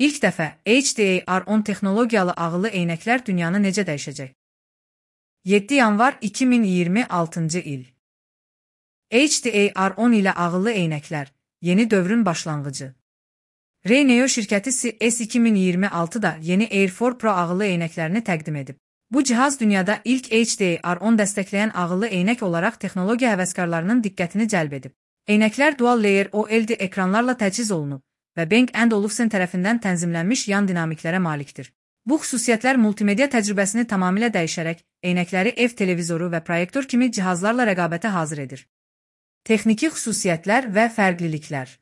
İlk dəfə HDR10 texnologiyalı ağıllı eynəklər dünyanı necə dəyişəcək? 7 yanvar 2026-cı il. HDR10 ilə ağıllı eynəklər, yeni dövrün başlanğıcı. Rayneo şirkəti S2026-da yeni Air 4 Pro ağıllı eynəklərini təqdim edib. Bu cihaz dünyada ilk HDR10 dəstəkləyən ağıllı eynək olaraq texnologiya həvəskarlarının diqqətini cəlb edib. Eynəklər Dual Layer OLED ekranlarla təchiz olunub və Bang & Olufsen tərəfindən tənzimlənmiş yan dinamiklərə malikdir. Bu xüsusiyyətlər multimedia təcrübəsini tamamilə dəyişərək, eynəkləri ev televizoru və proyektor kimi cihazlarla rəqabətə hazır edir. Texniki xüsusiyyətlər və fərqliliklər.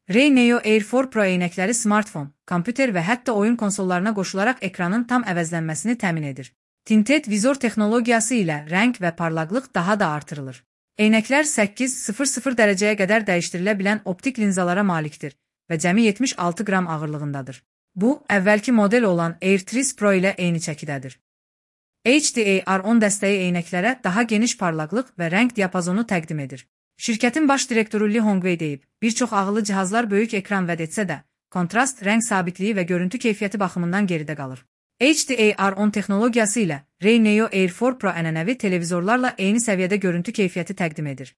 Rayneo Air 4 Pro eynəkləri smartfon, kompüter və hətta oyun konsollarına qoşularaq ekranın tam əvəzlənməsini təmin edir. Tinted vizor texnologiyası ilə rəng və parlaqlıq daha da artırılır. Eynəklər 800 dərəcəyə qədər dəyişdirilə bilən optik linzalara malikdir və cəmi 76 qram ağırlığındadır. Bu, əvvəlki model olan Air 3 Pro ilə eyni çəkidədir. HDR10 dəstəyi eynəklərə daha geniş parlaqlıq və rəng diapazonu təqdim edir. Şirkətin baş direktoru Li Hongwei deyib, bir çox ağıllı cihazlar böyük ekran vəd etsə də, kontrast, rəng sabitliyi və görüntü keyfiyyəti baxımından geridə qalır. HDR10 texnologiyası ilə Rayneo Air 4 Pro ənənəvi televizorlarla eyni səviyyədə görüntü keyfiyyəti təqdim edir.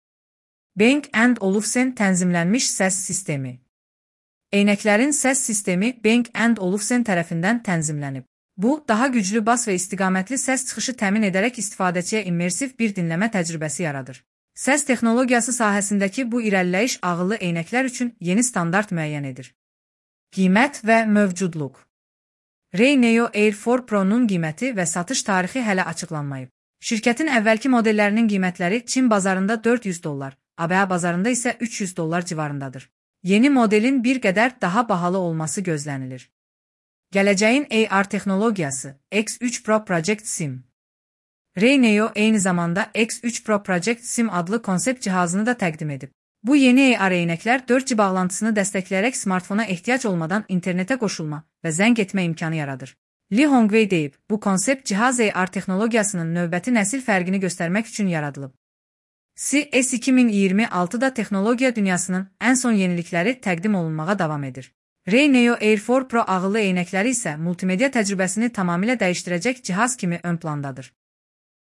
Bang & Olufsen tənzimlənmiş səs sistemi. Eynəklərin səs sistemi Bang & Olufsen tərəfindən tənzimlənib. Bu, daha güclü bas və istiqamətli səs çıxışı təmin edərək istifadəçiyə immersiv bir dinləmə təcrübəsi yaradır. Səs texnologiyası sahəsindəki bu irəliləyiş ağıllı eynəklər üçün yeni standart müəyyən edir. Qiymət və mövcudluq. Rayneo Air 4 Pro-nun qiyməti və satış tarixi hələ açıqlanmayıb. Şirkətin əvvəlki modellərinin qiymətləri Çin bazarında $400, ABŞ bazarında isə $300 civarındadır. Yeni modelin bir qədər daha bahalı olması gözlənilir. Gələcəyin AR texnologiyası X3 Pro Project Sim. Rayneo eyni zamanda X3 Pro Project Sim adlı konsept cihazını da təqdim edib. Bu yeni AR eynəklər 4G bağlantısını dəstəkləyərək smartfona ehtiyac olmadan internetə qoşulma və zəng etmə imkanı yaradır. Li Hongwei deyib, bu konsept cihaz AR texnologiyasının növbəti nəsil fərqini göstərmək üçün yaradılıb. S2026-da texnologiya dünyasının ən son yenilikləri təqdim olunmağa davam edir. Rayneo Air 4 Pro ağıllı eynəkləri isə multimedia təcrübəsini tamamilə dəyişdirəcək cihaz kimi ön plandadır.